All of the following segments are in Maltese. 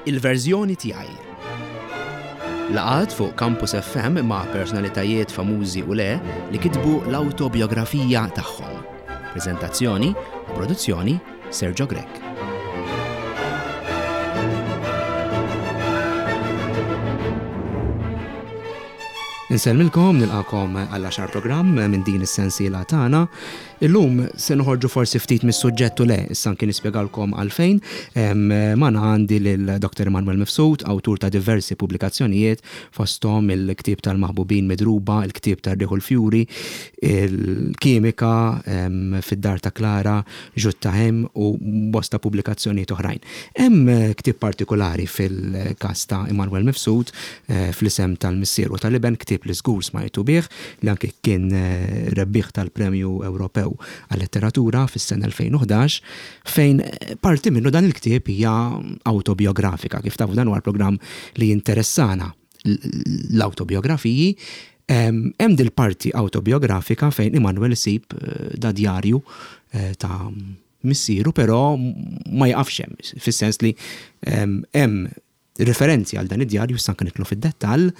Il-verżjoni tiegħi. Laqgħat fuq Campus FM ma' personalitajiet famużi u le li kitbu l-awtobiografija tagħhom. Preżentazzjoni u produzzjoni Sergio Grech. Insellmilkom, nilqakom għall-għaxar programm minn din is-sensiela tagħna. Illum se noħorġu forsi ftit mis-suġġett u le, issa anki nispjegalkom għalfejn. Magħna għandi lil Dr. Emanuel Mifsud, awtur ta' diversi pubblikazzjonijiet, fosthom il-ktieb tal-Maħbubin Midruba, il-ktieb tar-Riħ u l-Fjuri, il-Kimika, Fid-Dar ta' Klara, Ġutta Hemm u bosta pubblikazzjonijiet oħrajn. Hemm ktieb partikulari fil-każ ta' Emanuel Mifsud, Fl-Isem tal-Missier u tal-Iben, ktieb li żgur smajtu bih, li anki kien rebbieħ tal-Premju Ewropew għal-Letteratura fis-sena 2011, fejn parti minnu dan il-ktieb hija awtobiografika. Kif tafu dan huwa l-programm li jinteressana l-awtobiografiji. Hemm dil-parti awtobiografika fejn Immanuel isib da djarju ta' missieru, però ma jaqafx hemm, fis-sens li hemm riferenzi għal dan id-djarju, issa anke nidħlu fid-dettall,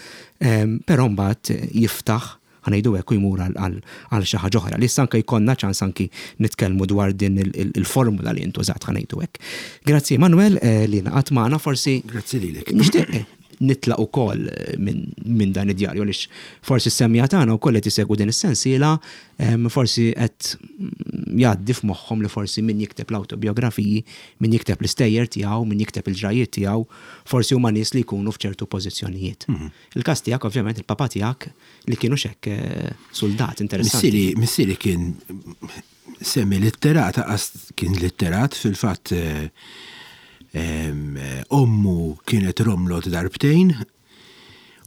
però mbagħad jiftaħ, ħa ngħidu hekk, u jmur għal xi ħaġa oħra li issa anke jkollna ċans anki nitkellmu dwar din il-formula li intużat, ħa ngħidu hekk. Grazzi Emanuel li ngħaqadt magħna, forsi. Grazzi lilek. Nixtieq nitlaq ukoll minn dan id-djarju għaliex forsi s-semmiegħa tagħna wkoll qed isegwu din is-sensiela forsi qed jgħaddi f'moħħhom li forsi min jikteb l-awtobiografiji Min jikteb l-istejjer tiegħu, min jikteb il-ġrajjiet tiegħu, forsi huma nies li jkunu f'ċertu pożizzjonijiet. Il-każ tiegħek ovvjament il-papà tiegħek li kien hux hekk suldat interessanti. Missieri, missieri kien semi-litterat, anqas kien litterat, fil-fatt ommu kienet romlot darbtejn,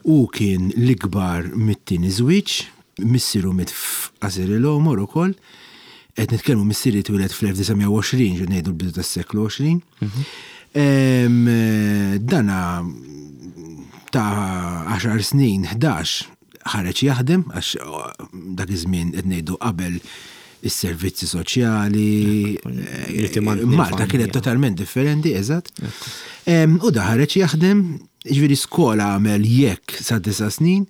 Hu kien l-ikbar mit-tieni żwieġ, missieru miet f'qasir il-għomor ukoll. Qed nitkellmu missieri twieled fl-1920, ġifieri ngħidu l-bidu tas-seklu 20. Dana ta' għaxar snin, 11, ħareġ jaħdem għax dak iż-żmien qed ngħidu qabel is-servizzi soċjali. Malta kienet totalment differenti, eżatt. U da ħareġ jaħdem, ġifieri skola għamel jekk sa disa' snin.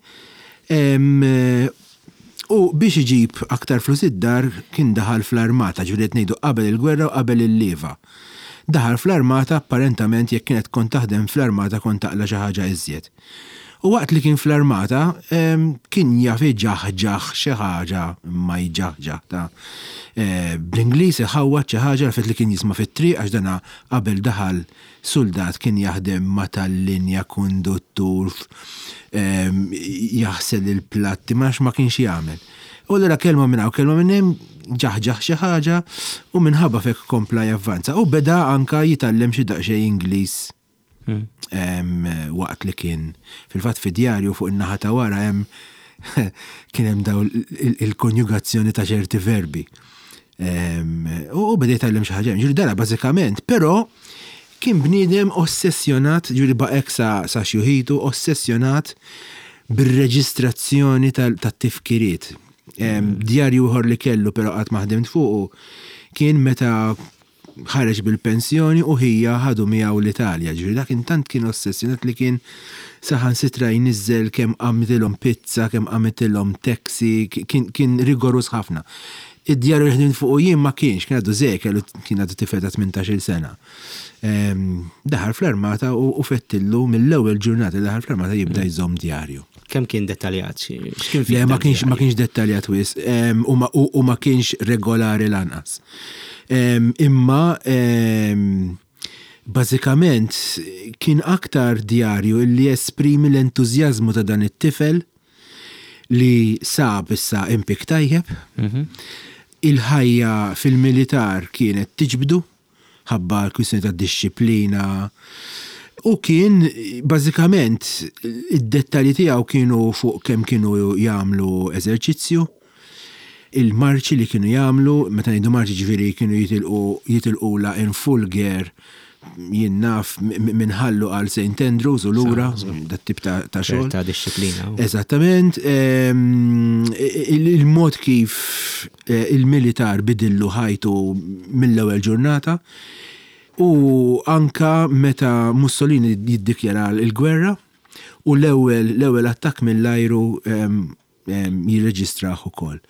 U biex iġib aktar flus id-dar kien daħal fl-armata, ġifieri qed ngħidu qabel il-gwerra u qabel il-lieva. Daħal fl-armata apparentament jekk kienet kont taħdem fl-armata kont taqla' xi ħaġa iżjed. U waqt li kien fl-armata, kien jaf iġaħġaħ xi ħaġa, imma jġaħġaħ ta' bl-Ingliż iħawwad xi ħaġa għalfejn li kien jisma' fit-triq għax dana qabel daħal suldat kien jaħdem ma' tal-linja, konduttur, jaħsel il-platti, ma nafx ma kienx jagħmel. U allura kelma minn hawn, kelma minn hemm, ġaħġaħ xi ħaġa u minħabba f'hekk kompla javvanza. U beda anka jitgħallem xi daqsxejn Ingliż Waqt li kien fil-fatt fi djarju fuq in-naħa ta' wara hemm kien hemm daw il-konjugazzjoni ta' ċerti verbi. U beda jitgħallem xi ħaġa. Ġifieri dara bażikament, però kien bniedem ossessjonat, ġifieri baqgħek sa xjuħitu, ossessjonat bir-reġistrazzjoni tat-tifkiriet. Djarju ieħor li kellu però qatt ma ħdimt fuqu kien meta ħareġ bil-pensjoni u ħija ħadu miegħu l-Italja. Ġifieri dak intant kien ossessjonat li kien saħansitra jniżżel kemm qamtilhom pizza, kemm qamitilhom taxi, kien kien rigoruż ħafna. Id-djarju li ħdimt fuqu jien ma kienx, kien għadu żgħir, kellu kien għadu tifel ta' tmintax-il sena. Daħal fl-armata u fettillu mill-ewwel ġurnata li daħal fl-armata jibda jżomm djarju. Kemm kien dettaljat? X'kien fih? Le, ma kienx ma kienx dettaljat wisq u ma kienx regolari lanqas. Imma bażikament kien aktar djarju li jesprimi l-entużjażmu ta' dan it-tifel li sab issa impjieg tajjeb. Il-ħajja fil-militar kienet tiġbdu. ħabba l-kwistjoni tad-dixxiplina u kien bażikament id-dettalji tiegħu kienu fuq kemm kienu jagħmlu eżerċizzju, il-marċi li kienu jagħmlu, meta ngħidu marċi ġifieri kienu jitilqu jitilqulha in full gear jien naf minn Ħallu għal St. Andrews u lura, dat-tip ta' xogħol. Ta' dixxiplina. Eżattament. Il-mod kif Il-militar bidillu ħajtu mill-ewwel ġurnata. U anka meta Mussolini jiddikjara l-gwerra u l-ewwel l-ewwel attakk mill-ajru jirreġistrah ukoll.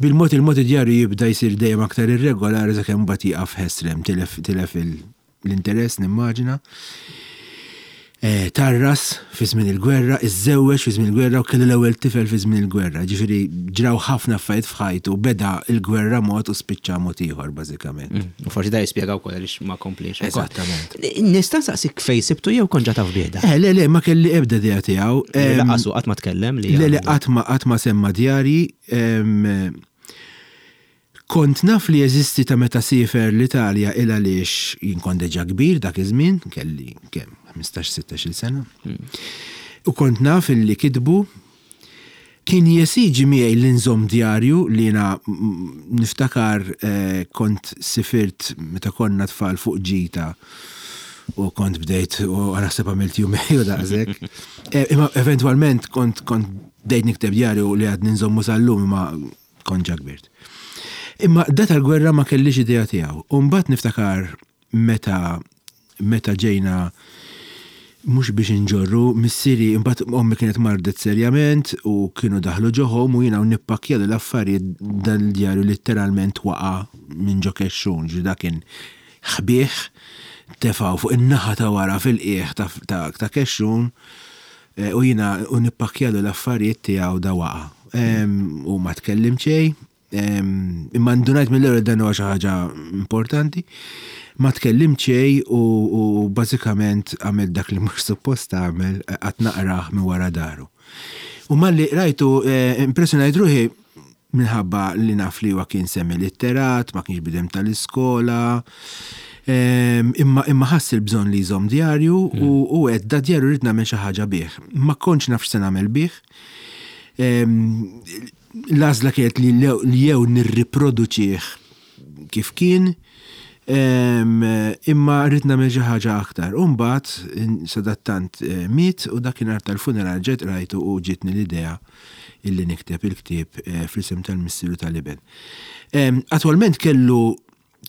Bil-mod il-mod id-djarju jibda jsir dejjem aktar irregolari sakemm mbagħad jieqaf ħesrem, tilef tilef l-interess nimmaġina. Eh, tarras fi żmien il-gwerra, iżżewweġ fi żmien il-gwerra u kellu l-ewwel tifel fi żmien il-gwerra. Ġifieri ġraw ħafna affarijiet f'ħajtu, beda l-gwerra mod u spiċċa mod ieħor bażikament. Mm, u forsi da jispjega wkoll għaliex ma kompliex. Eżattament. Nista' nsaqsik fejn sibtu jew kont ġa taf bih Eh, le, le, ma kelli ebda idea tiegħu. Laqasu qatt ma tkellem li. Le, le, qatt ma qatt ma semma djarji. Kont naf li jeżisti ta' meta siefer l-Italja il għaliex jien kont deġa kbir dak iż-żmien, kelli kemm, 15, 16-il sena. U kont naf illi kitbu. Kien jesiġi miegħi li nżomm djarju li jiena niftakar kont sifirt meta konna tfal fuq ġita u kont bdejt u naħseb għamilt jumej u daqshekk. Imma eventwalment kont kont bdejt nikteb djarju li għadni nżommu sal-lum imma Kont ġa kbirt. Imma da tal-gwerra ma kellix idea tiegħu. U mbagħad niftakar meta meta ġejna mhux biex inġorru, missieri imbagħad ommi kienet mardet serjament u kienu daħlu ġo home u jiena u nippakkjalu l-affarijiet dan il-djarju litteralment waqa' minn ġo kexxun, ġifieri dak kien ħbieh, tefgħu fuq in-naħa ta' wara fil-qiegħ ta' kexxun U jiena u nippakkjalu l-affarijiet tiegħu da waqa'. U ma tkellimt xejn. Imma ndunajt mill-ewwel dan huwa xi ħaġa importanti. Ma tkellimt xejn u bażikament għamilt dak li mhux suppost tagħmel qatt naqrah minn wara daru. U malli qrajtu impressjonajt ruħi minħabba li naf li huwa kien semi-litterat, ma kienx bidem tal-iskola, imma imma ħass il-bżonn li jżomm djarju u u għedt da djarju rrid nagħmel xi ħaġa bih. Ma kontx naf x'se nagħmel bih. L-għażla kienet li jew nirriproduċih kif kien, imma rrid nagħmel xi ħaġa aktar. U mbagħad sadattant eh, miet u dakinhar tal-funeral ġejt qrajtu u ġietni l-idea illi nikteb il-ktieb eh, fl-isem tal-Missier u tal-Iben. Attwalment kellu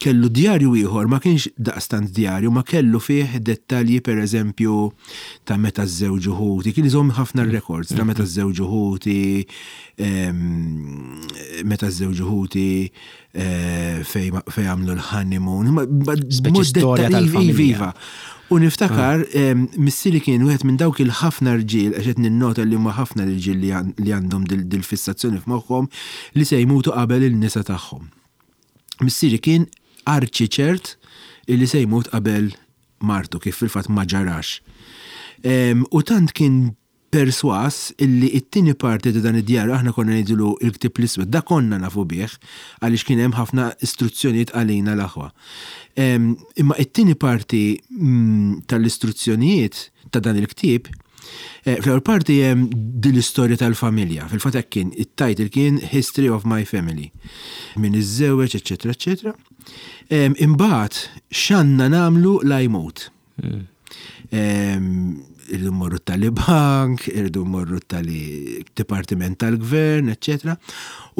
kellu djarju ieħor, ma kienx daqstant djarju, ma kellu fih dettalji per eżempju ta' meta żżewġu ħuti, kien iżomm ħafna records ta' meta żżewġu ħuti, meta żżewġu ħuti, eh, fej għamlu l-honeymoon. Speċi storja tal-familja. Iva. U niftakar, ah. missieri kien wieħed minn dawk il-ħafna rġiel, għax qed ninnota li huma ħafna l-irġiel li għandhom dil-fissazzjoni f'moħħhom li se jmutu qabel il-nisa tagħhom. Missieri kien arċi ċert li se jmut qabel martu kif fil-fatt ma ġarax. U tant kien persważ illi t-tieni parti ta' dan id-djarju aħna konna ngħidulu l-Ktieb l-Iswed, da konna nafu bih għaliex kien hemm ħafna istruzzjonijiet għalina l-aħwa. Imma t-tieni parti tal-istruzzjonijiet ta' dan il-ktieb, fl-ewwel parti hemm din l-istorja tal-familja, fil-fatt hekk kien, it-title kien History of my Family, min iżżewweġ, eċċetera, eċċetera. Imbagħad x'għandna nagħmlu la jmut. Irridu mmorru tali bank, irridu mmorru tali dipartiment tal-gvern, eccetera.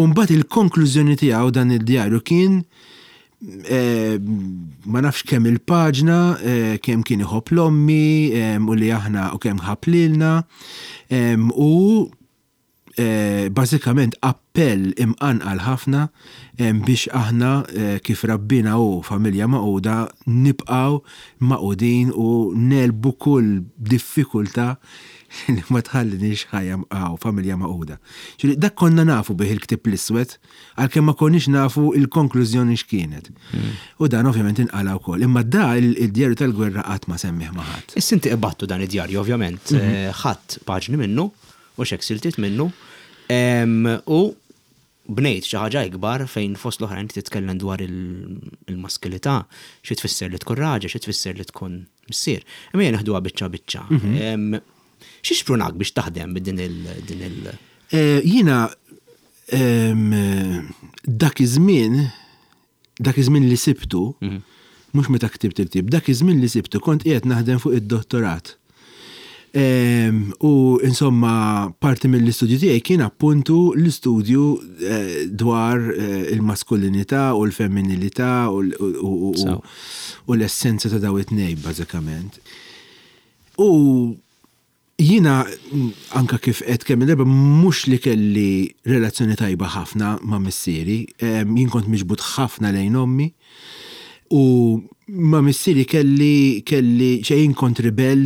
U mbagħad il-konklużjoni tiegħu dan il-djarju kien eh, ma nafx kemm il-paġna, eh, kemm kien iħobb l-ommi, eh, u li aħna u kemm ħabb lilna, u bażikament appell imqanqal ħafna biex aħna kif rabbina hu familja magħquda nibqgħu magħqudin u negħlbu kull diffikultà li ma tħalliniex ħajja hawn familja magħquda. Ġifieri dak konna nafu bih il-ktieb l-iswed għalkemm ma konniex nafu l-konklużjoni x'kienet. U dan ovvjament inqala' wkoll. Imma da il-djarju tal-gwerra qatt ma semmih ma' ħadd. Issa inti qbadtu dan id-djarju ovvjament, ħadt paġni minnu u x'hekk siltiet minnu, u bnejt xi ħaġa ikbar fejn fost l-oħrajn inti titkellem dwar il-maskilità, xi tfisser li tkun raġel, xi tfisser li tkun missier. Imma ejja neħduha biċċa biċċa. Xi xprunak biex taħdem b'din il din il Jiena dak iż-żmien dak iż-żmien li sibtu, mhux meta ktibt il-ktieb, dak iż-żmien li sibtu kont qiegħed naħdem fuq id-dottorat. U insomma, parti mill-istudju tiegħi kien appuntu l-istudju eh, dwar eh, il-maskulinità u l-femminilità u l-essenza ta' daw it-tnejn bażikament. U Jiena, anke kif għedt kemm-il darba, mhux li kelli relazzjoni tajba ħafna ma' missieri. Jien kont miġbud ħafna lejn ommi u ma' missieri kelli kelli ċe jien kont ribell,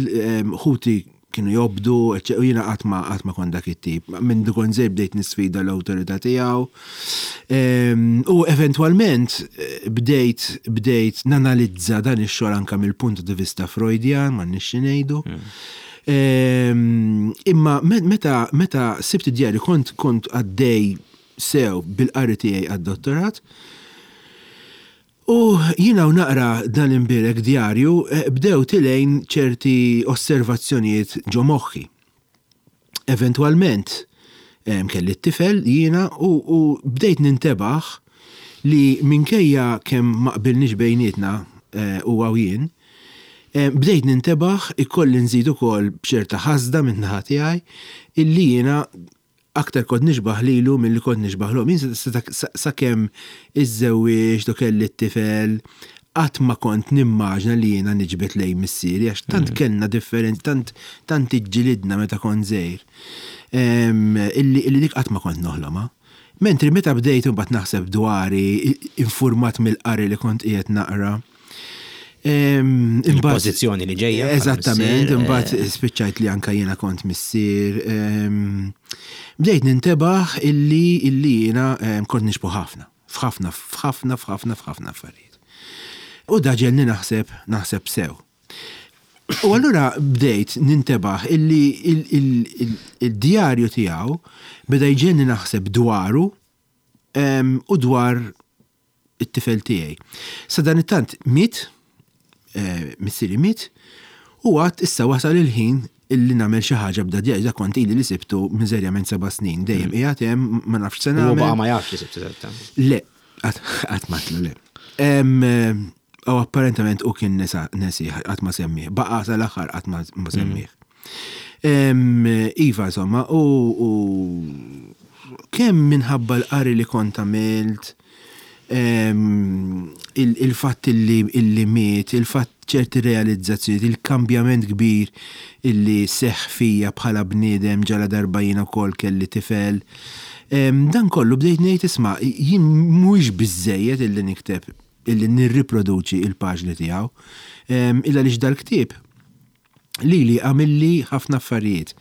ħuti kienu jobdu, u jiena qatt ma qatt ma kont dak it-tip. Mindu kont żgħir bdejt nisfida l-awtorità tiegħu. U eventwalment bdejt bdejt nanalizza dan ix-xogħol anke mill-punt di vista Freudjan, m'għandniex xi ngħidu. Imma meta meta sibt id-djarju kont kont għaddej sew bil-qari tiegħi għad-dottorat. U jiena u naqra dan l-imbierek djarju bdew tilgħin ċerti osservazzjonijiet ġo moħħi. Eventwalment kelli t-tifel jiena u, u bdejt nintebaħ li minkejja kemm ma qbilniex bejnietna huwa u jien, bdejt nintebaħ ikolli nżid ukoll b'ċerta ħasda min-naħa tiegħi illi jiena aktar kont nixbah lilu milli kont nixbah 'l ommi. Jien sakemm iżżewwiġt u kelli t-tifel qatt ma kont nimmaġna li jiena niġbed lejn missieri għax tant kellna differenzi, tant tant iġġilidna meta kont żgħir, illi illi dik qatt ma kont noħlomha. Mentri meta bdejt imbagħad naħseb dwari, infurmat mill-qari li kont qiegħed naqra, Il-pożizzjoni li ġejja. Eżattament, imbagħad eh. spiċċajt li anka jiena kont missier. Bdejt nintebaħ illi illi jiena kont nixbu ħafna. F'ħafna, f'ħafna, f'ħafna, f'ħafna affarijiet. U da ġelni naħseb, naħseb sew. U allura bdejt nintebaħ illi il-djarju tiegħu beda jġenni naħseb dwaru u dwar it-tifel tiegħi. Sadanittant miet, eh, missieri miet, u għad issa wasal il-ħin illi nagħmel xi ħaġa b'da djarju, da kont ili li sibtu miżerjament seba' snin, dejjem mm. qiegħed hemm ma nafx se nagħmel. U ma jafx li sibtu Le, qatt matlu le. U apparentament u kien nesa nesih, qatt ma semmih. Baqa' sal-aħħar qatt ma mm. semmih. Iva, insomma, u kemm minħabba l-qari li kont għamilt, il-fatt illi miet, il-fatt ċerti realizzazzjonijiet, il-kambjament kbir illi seħħ fija bħala bniedem ġala darba jiena wkoll kelli tifel. Dan kollu bdejt ngħid isma' jien mhuwiex biżżejjed illi nikteb illi nirriproduċi il-paġni tiegħu. Illa għaliex dal-ktieb lili għamilli ħafna affarijiet.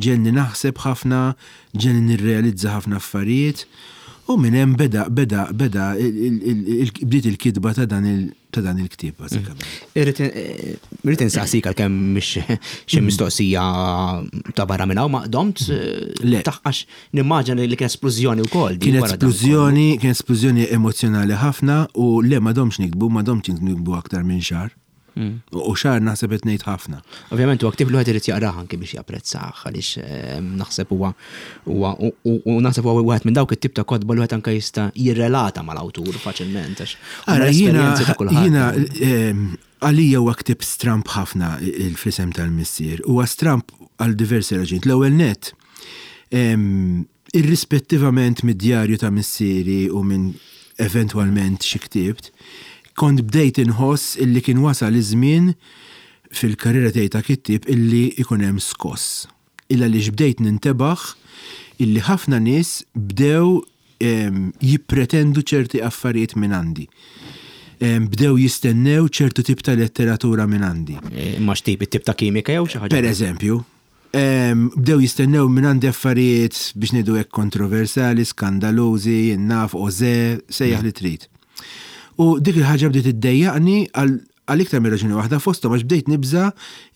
Ġegħelni naħseb ħafna, ġegħelni nirrealizza ħafna affarijiet u minn hemm beda beda beda bdiet il-kitba ta' dan il ta' dan il-ktieb bażikament. Irrid irrid insaqsik għalkemm mhix xi mistoqsija ta' barra minn hawn ma domt Le. għax nimmaġina li kien esplużjoni wkoll. Kien esplużjoni, kien esplużjoni emozzjonali ħafna u le ma domx niktbu, ma domx niktbu aktar minn xahar. Mm. U xahar naħseb qed ngħid ħafna. Ovvjament huwa ktieb li wieħed irid jaqrah anke biex japprezzah għaliex ehm, naħseb huwa huwa u naħseb huwa wieħed minn dawk it-tip ta' kotba li wieħed anke jista' jirrelata mal-awtur faċilment għax Ara jiena jiena ehm, għalija huwa ktieb stramp ħafna il-fisem tal-missier. Huwa stramp għal diversi raġunijiet. L-ewwel nett ehm, Irrispettivament mid-djarju ta' missieri u minn eventwalment xi ktibt, kont bdejt inħoss illi kien wasal iż-żmien fil-karriera tiegħi ta' kittieb illi jkun hemm skoss. Il-għaliex bdejt nintebaħ illi ħafna nies bdew jippretendu ċerti affarijiet mingħandi. Bdew jistennew ċertu tip ta' letteratura mingħandi. Imma x'tip? It-tip ta' kimika jew xi ħaġa? Pereżempju. Bdew jistennew mingħandi affarijiet biex ngħidu hekk kontroversali, skandalużi, jien naf, ożè, sejjaħ li trid. U dik il-ħaġa bdiet iddejjaqni għal iktar minn raġuni waħda fosthom għax bdejt nibża'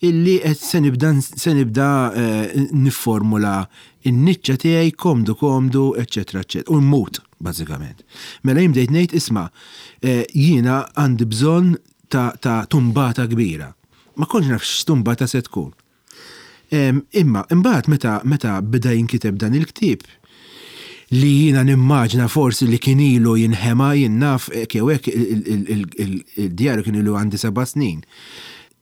illi qed se nibda se nibda nifformula n-niċċa tiegħi komdu komdu, eċċetera eċċetera. U mmut, bażikament. Mela jien bdejt ngħid isma' jiena għandi bżonn ta' tumbata kbira. Ma kontx naf x'tumbata se tkun. Imma imbagħad meta meta beda jinkiteb dan il-ktieb, li jiena nimmaġna forsi li kien ilu jinħema, jien naf hekk jew hekk il-djarju kien ilu għandi seba' snin.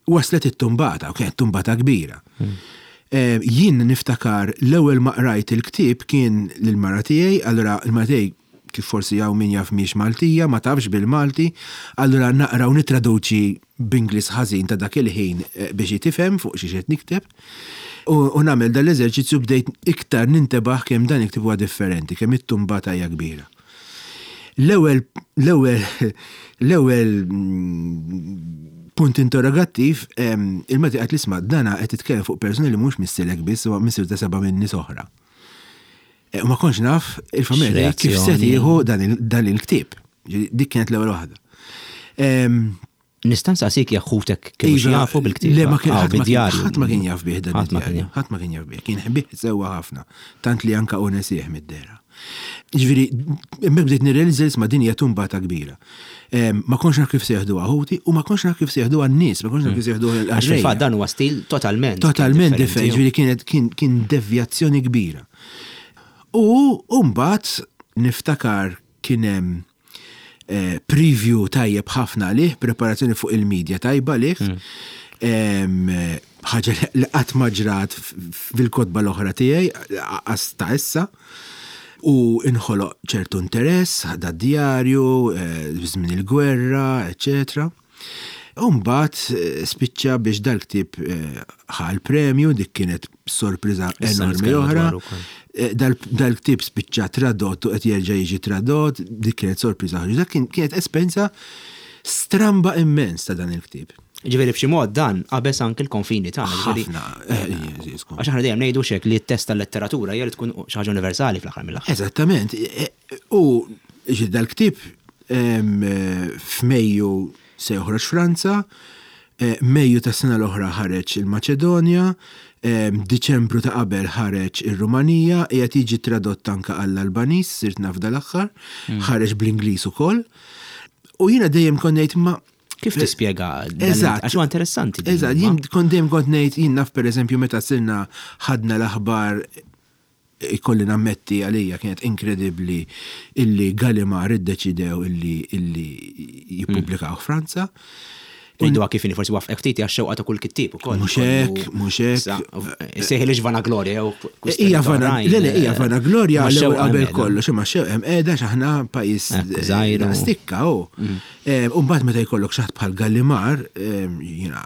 Waslet it-tumbata, u kienet tumbata kbira. Jien niftakar l-ewwel ma qrajt il-ktieb kien lill-mara tiegħi, allura l-mara tiegħi kif forsi hawn min jaf mhijiex Maltija, ma tafx bil-Malti, allura naqra u nittraduċi b'Ingliż ħażin ta' dak il-ħin biex hi tifhem fuq xiex qed nikteb. U nagħmel dan l-eżerċizzju bdejt iktar nintebaħ kemm dan il-ktieb huwa differenti, kemm it-tumbata hija kbira. L-ewwel l-ewwel l-ewwel punt interrogattiv il-meta qed isma' dana qed titkellem fuq persuna li mhux missierek biss huwa missier ta' seba' minn nies oħra. E, u ma kontx naf il-familja kif se tieħu dan il-ktieb. Dik kienet l-ewwel waħda. Nista' nsaqsik jekk ħutek kienu xi Iva, jafu bil-ktieb? Le, ma kien Ah, ħadd ma kien bid-djarju. ħadd ma kien jaf bih dan Ħadd ma kien id-djarju. jaf. Ħadd ma kien jaf bih. Kien ħbih sewwa ħafna, tant li anka hu nesih mid-dehra. Ġifieri, hemmhekk bdejt nirrealizza li isma' din hija tumbata kbira. Ma kontx naf kif se jeħduha ħuti u ma kontx naf kif se jeħduha n-nies, ma kontx naf kif se jeħduha Għax l-qarrejja. fil-fatt dan huwa stil totalment Totalment differenti. differenti, ġifieri kienet kien kien devjazzjoni kbira. U mbagħad niftakar kien hemm preview tajjeb ħafna għalih, preparazzjoni fuq il-media tajba għalih. Ħaġa li qatt ma ġrat fil-kotba l-oħra tiegħi, qas ta' issa. U inħoloq ċertu interess, da djarju, żmien il-gwerra, eċċetera. U mbagħad spiċċa biex dal-ktieb ħa l-premju, dik kienet sorpriża Issa enormi nitkellmu oħra. dwaru wkoll. Dal-ktieb spiċċa tradott u qed jerġa' jiġi tradott, dik kienet sorpriża oħra. Dak kienet esperjenza stramba immens ta' dan il-ktieb. Ġifieri b'xi mod dan qabeż anke l-konfini tagħna, ġifieri Ħafna, skont. Għax aħna dejjem ngħidu x'hekk li t-test tal-letteratura hija li tkun xi ħaġa universali fl-aħħar mill-aħħar. Eżattament. U ġi dal-ktieb f'Mejju se joħroġ Franza, Mejju tas-sena l-oħra ħareġ il-Maċedonja, Diċembru ta' qabel ħareġ ir-Rumanija, qiegħed jiġi tradott anke għall-Albaniż, sirt naf dal-aħħar, ħareġ bl-Ingliż ukoll. U jiena dejjem kont ngħid ma Kif tispjega dan? Eżatt. Għax huwa interessanti din, Eżatt, ma? jien kont dejjem kont ngħid, jien naf pereżempju meta sirna ħadna l-aħbar, ikolli nammetti għalija kienet inkredibbli illi Gallimard iddeċidew illi jippubblikaw Franza. Ngħiduha kif inhi, forsi wafqek ftit hija x-xewqa ta' kull kittieb ukoll. Mhux hekk, mhux hekk. Sa, sejħi lix vanaglorja jew kwistjoni Hija vana, oħrajn, le, le, hija vanaglorja ma l-ewwel xewqa qabel hemm qiegħda. kollox, imma xewqa hemm qiegħda x'aħna pajjiż, Ekku, żgħir u- stikka, hu. U mbagħad meta jkollok xi ħadd bħal Gallimard, jiena.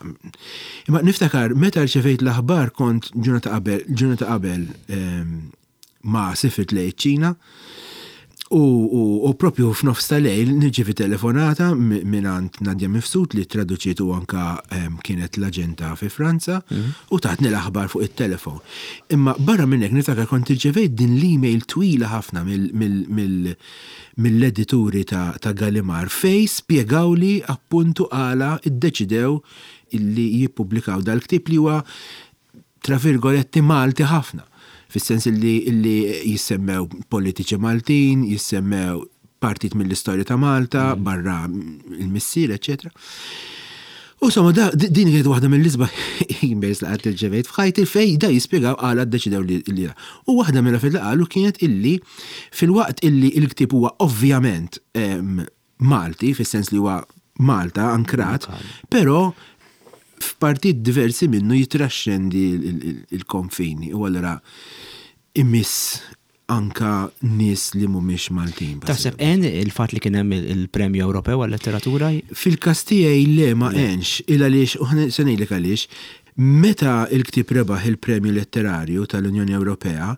Imma niftakar meta rċevejt l-aħbar kont ġurnata qabel, ġurnata qabel ma sifirt lejn iċ-Ċina. U propju f'nofs tal-lejl nirċievi telefonata mingħand Nadia Mifsud li traduċiet u anka kienet l-aġenta fi Franza u tatni l-aħbar fuq it-telefon. Imma barra minn hekk niftakar kont irċevejt din l-email twila ħafna mill-edituri ta' Gallimard fej spjegawli appuntu għala iddeċidew illi jippubblikaw dal-ktieb li huwa tra virgoletti Malti ħafna. Fis-sens illi jissemmew politiċi Maltin, jissemmew partit mill-istorja ta' Malta, barra il-missier, eċċetera. U somma, din kienet waħda mill-isbaħ emails li qatt irċevejt f'ħajti fej da jispjegaw għala ddeċidew li da. U waħda mill-affarijiet li qalu kienet illi fil-waqt illi l-ktieb huwa ovvjament Malti, fis-sens li huwa Malta ankrat, però f'partit diversi minnu jitraxxendi il-konfini u allura imiss anka nies li mhumiex Maltin, Taħseb għen il-fatt li kien hemm il-Premju Ewropew għal-Letteratura? Fil-każ tiegħi le ma għenx, il għaliex, u se ngħidlek għaliex, meta il-ktieb rebaħ il-Premju Letterarju tal-Unjoni Ewropea,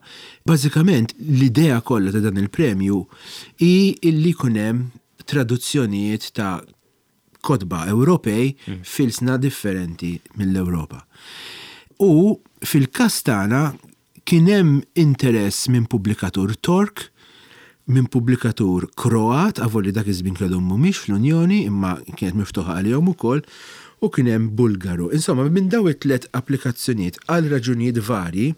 bażikament l-idea kollha ta' dan il-premju hi illi jkun hemm traduzzjonijiet ta' kotba Ewropej fil-sna differenti mill-Ewropa. U fil-każ tagħna kien hemm interess minn pubblikatur Tork, minn pubblikatur Kroat, avolli dak iż-żmien kellhom mhumiex fl-Unjoni, imma kienet miftuħa għalihom ukoll, u kien hemm Bulgaru. Insomma, minn daw it-tliet applikazzjonijiet għal raġunijiet varji,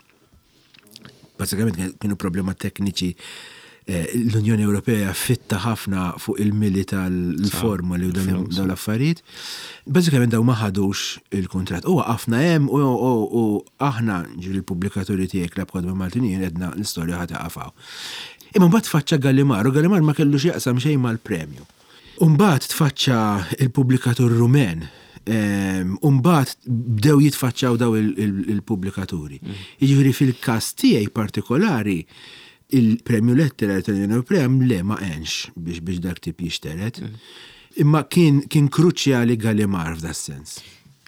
bażikament kienu problema tekniċi, l-Unjoni Ewropea fitta ħafna fuq il-mili tal-formuli u dawn l-affarijiet. Bażikament daw ma ħadux il-kuntratt. U waqafna hemm u aħna ġifieri l-pubblikaturi tiegħek Klabb Kotba Maltin għedna l-istorja ħa taqaf hawn. Imma mbagħad tfaċċa Gallimard, u Gallimard ma kellux jaqsam xejn mal-premju. U mbagħad tfaċċa il-pubblikatur Rumen U mbagħad bdew jitfaċċaw daw il-pubblikaturi. Jiġifieri fil-każ tiegħi partikolari, il-Premju Letterarju tal-Unjoni Ewropea le ma għenx biex biex dak tip jixteret. Imma kien kien kruċjali Gallimard f'das-sens.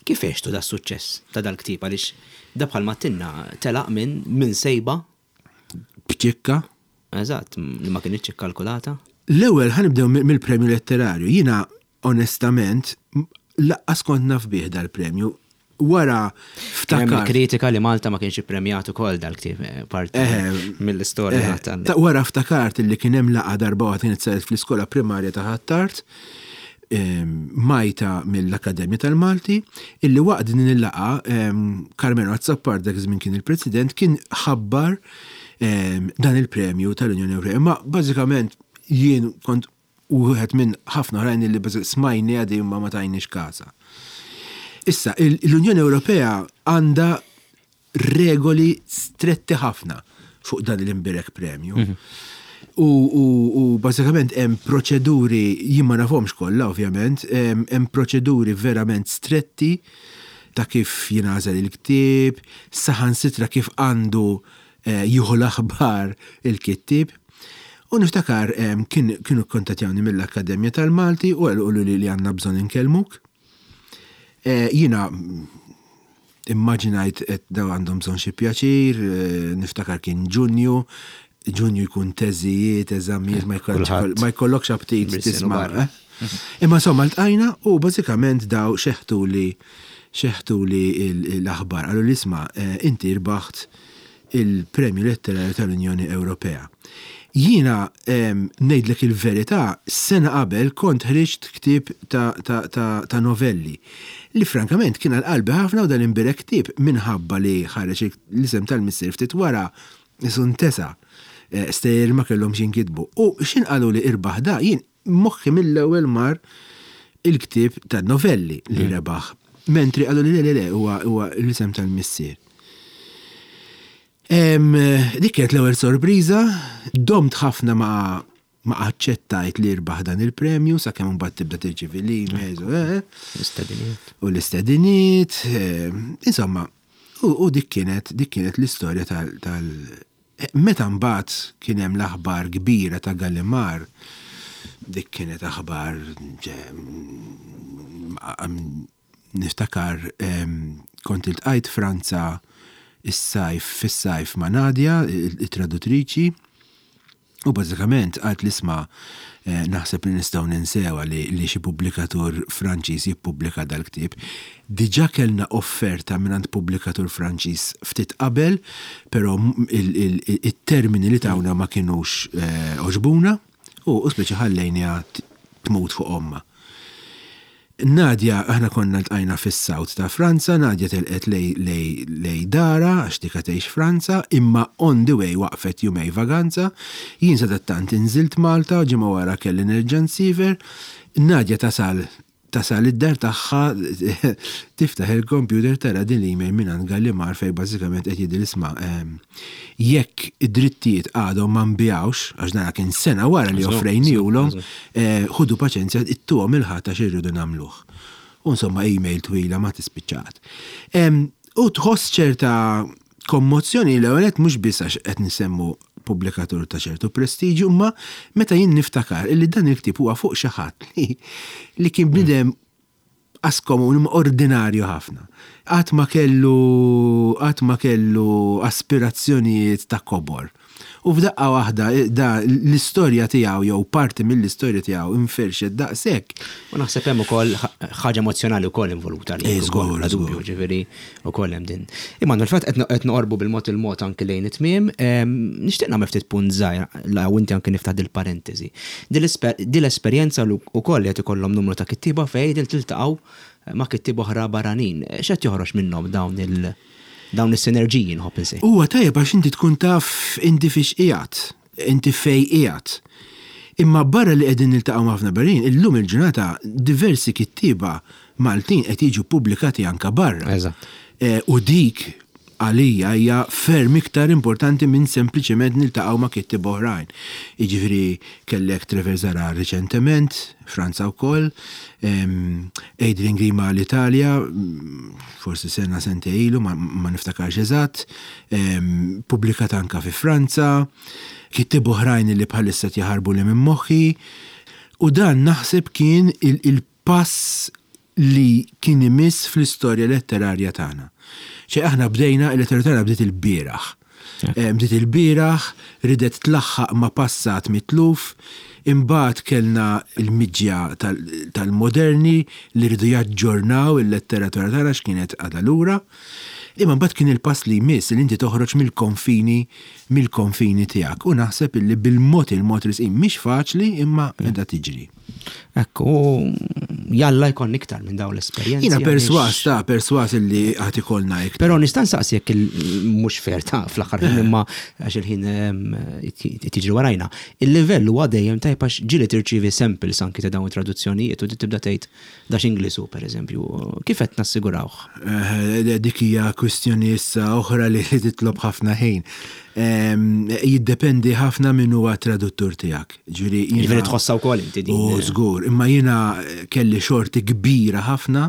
Kif għextu das-suċċess ta' dal-ktieb għaliex da bħalma għedtilna telaq minn minn sejba B'ċikka. Eżatt, li ma kinitx ikkalkulata. L-ewwel ħa nibdew mill-premju letterarju. Jiena onestament laqqas kont naf bih dal-premju. Wara ftakar. Hemm kritika li Malta ma kienx ippremjat ukoll dal-ktieb eh, parti mill-istorja tal. Wara ftakart li kien hemm laqgħa darba waħda kienet saret fl-iskola primarja ta' Ħ'Attard Majta mill-Akkademja tal-Malti, illi waqt din il-laqgħa Karmenu Azzopardi dak iż-żmien kien il-President kien ħabbar dan il-premju tal-Unjoni Ewropea. Imma bażikament jien kont wieħed minn ħafna oħrajn illi smajniha din imma ma tajniex kasha. Issa, l-Unjoni Ewropea għandha regoli stretti ħafna fuq dan l-imbirek premju. Mhm. U, u, u bażikament hemm proċeduri, jien ma nafhomx kollha ovvjament, hemm proċeduri verament stretti ta' kif jingħażel il-ktieb, saħansitra kif għandu eh, jieħu l-aħbar il-kittieb. U niftakar kien, kienu kkontattjawni mill-Akkademja tal-Malti u qaluli li għandna bżonn inkellmuk. Eh, jiena Immaġinajt qed daw għandhom bżonn xi pjaċir, niftakar kien Ġunju, Ġunju jkun teżijiet, eżamijiet, ma jkollokx aptit tisma'. Eh? Imma insomma ltqajna u bażikament daw xeħtuli xeħtuli l-aħbar. Qalu li isma' eh, inti rbaħt il-Premju Letterarju tal-Unjoni Ewropea. Jiena ngħidlek il-verità, sena qabel kont ħriġt ktieb ta' ta' ta' ta' novelli li frankament kien għal qalbi ħafna u dan imbierek ktieb minħabba li ħareġ l-isem tal-missier ftit wara qisu ntesa. Stejjer ma kellhomx jinkitbu. U x'ħin qaluli irbaħ da, jien moħħi mill-ewwel mar il-ktieb tan-novelli li rebaħ. Mentri qaluli le le le huwa huwa l-isem tal-missier. Dik kienet l-ewwel sorpriża, domt ħafna ma ma aċċettajt li rbaħ dan il-premju sakemm imbagħad tibda tirċievi l-emails u eh, L-istediniet. U l-istediniet, eh, insomma, u dik kienet dik kienet l-istorja tal, tal meta mbagħad kien hemm l-aħbar kbira ta' Gallimard, dik kienet aħbar Niftakar kont iltqajt Franza is-sajf fis-sajf ma' Nadia, it-traduttriċi, u bażikament qaltli isma' naħseb li nistgħu ninsewha li li xi pubblikatur Franċiż jippubblika dal-ktieb. Diġà kellna offerta mingħand pubblikatur Franċiż ftit qabel, però it-termini li tawna ma kinux għoġbuna u speċi ħallejniha tmut fuq ommha. Nadia, aħna konna ltqajna fis-south ta' Franza, Nadia telqet lej lej darha għax dika tgħix Franza, imma on the way waqfet jumej vaganza. Jien sadattant inżilt Malta, ġimgħa wara kelli nerġa' nsiefer. Nadia tasal tasal id-dar tagħha tiftaħ il-computer tara din l-email mingħand Gallimard fejn bażikament qed jgħidilha isma' Jekk id-drittijiet għadhom ma nbigħux, għax dana kien sena wara li offrejnihulhom, ħudu paċenzja, ittuhom il-Ħadd għax irridu nagħmluh. U insomma email twila ma tispiċċa qatt. U tħoss ċerta kommozzjoni l-ewwel nett mhux biss għax qed nsemmu pubblikatur ta' ċertu prestiġju, imma meta jien niftakar illi dan il-ktieb huwa fuq xi ħadd li kien bniedem Qas komuni imma ordinarju ħafna. Qatt ma kellu qatt ma kellu aspirazzjonijiet ta' kobor. U f'daqqa waħda da l-istorja tiegħu jew parti mill-istorja tiegħu inferxet daqshekk. U naħseb hemm ukoll ħaġa emozzjonali wkoll involuta li żgur, bla dubju, ġifieri wkoll hemm din. Immanuel, fil-fatt qed noqorbu bil-mod il-mod anki lejn it-tmiem, nixtieq nagħmel ftit punt żgħir la u inti anki niftaħ dil-parentesi. Din l-esperjenza wkoll li qed ikollhom numru ta' kittieba fejn iltaqgħu ma' kittieba oħra barranin. X'qed joħroġ minnhom dawn il dawn is-sinerġiji nħobb insejħ? Huwa tajjeb għax inti tkun taf inti fiex qiegħed, inti fejn qiegħed. Imma barra li qegħdin niltaqgħu ma' ħafna barranin, illum il-ġurnata diversi kittieba Maltin qed jiġu ppubblikati anke barra. Eżatt. U dik. għalija hija ferm iktar importanti minn sempliċement niltaqgħu ma' kittieba oħrajn. Jiġifieri kellek Trevor Zahra riċentement, Franza wkoll, Adrian Grima l-Italja, forsi sena sentejn ilu, ma niftakarx eżatt, pubblikat anka fi Franza, kittieba oħrajn li bħalissa qed jaħarbuli minn moħħi. U dan naħseb kien il-pass li kien imiss fl-istorja letterarja tagħna. Ċe aħna bdejna, il-letteratura tagħna bdiet ilbieraħ. Bdiet ilbieraħ, ridet tlaħħaq ma' passat mitluf, imbagħad kellna l-miġja tal-moderni li riedu jaġġornaw il-letteratura tagħna x'kienet għadha lura. Imma mbagħad kien il-pass li jmiss li inti toħroġ mill-konfini mill-konfini tiegħek u naħseb illi bil-mod il-mod risqin mhix faċli imma qiegħda tiġri. Ekku, jalla jkollna iktar minn dawn l-esperjenzi. Jiena perswas, ta' perswas illi għad ikollna iktar. Però nista' nsaqsi jekk mhux fair ta' fl-aħħar ħin imma għax il-ħin tiġri warajna. Il-livell huwa dejjem tajb għax ġieli tirċievi samples anki ta' dawn it-traduzzjonijiet u tibda tgħid da x'Ingliż hu pereżempju. Kif qed nassigurawh? Dik hija kwistjoni issa oħra li titlob ħafna ħin. Jiddependi ħafna min huwa t-traduttur tiegħek. Ġifieri jiena. Ġifieri tħossha wkoll inti din. U żgur, imma jiena kelli xorti kbira ħafna.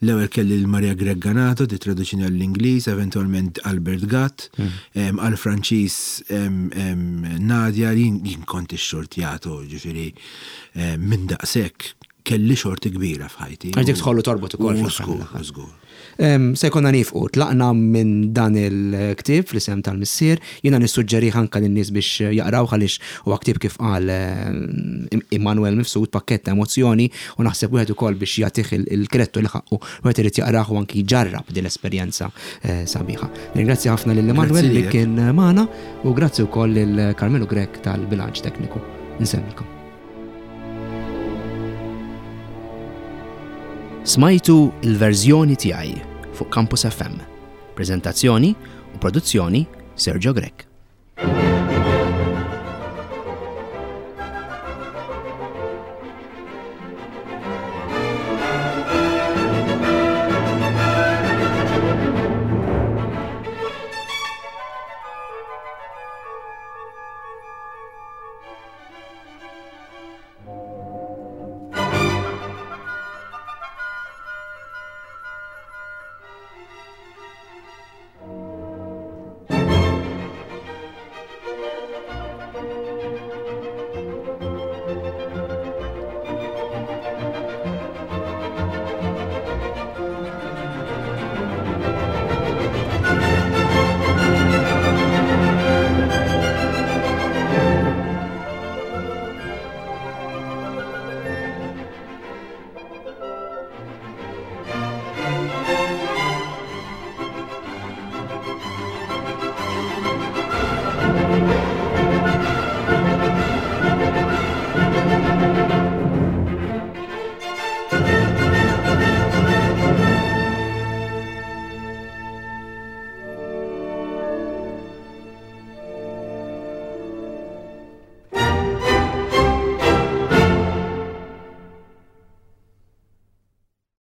L-ewwel kelli lil Maria Grech Ganato tittraduċini għall-Ingliż, eventwalment Albert Gatt, għall-Franċiż Nadia, jien kont ixxurtjat u ġifieri minn daqshekk kelli xorti kbira f'ħajti. Għax dik tħollu torbot ukoll. U żgur, u żgur. Se jkollna niefqu, tlaqna minn dan il-ktieb fl-isem tal-missier, jiena nissuġġerih anke lin-nies biex jaqrawh għaliex huwa ktieb kif qal Immanuel Mifsud pakkett ta' emozzjoni u naħseb wieħed ukoll biex jagħtih il-kredtu li ħaqqu wieħed irid jaqrah u anki jġarrab din l-esperjenza sabiħa. Nirringrazzja ħafna lil Immanuel li kien magħna u grazzi wkoll lil Carmelo Grech tal-bilanċ tekniku. Insellmilkom. Smajtu il-verżjoni tiegħi fuq Campus FM. Preżentazzjoni u produzzjoni Sergio Grech.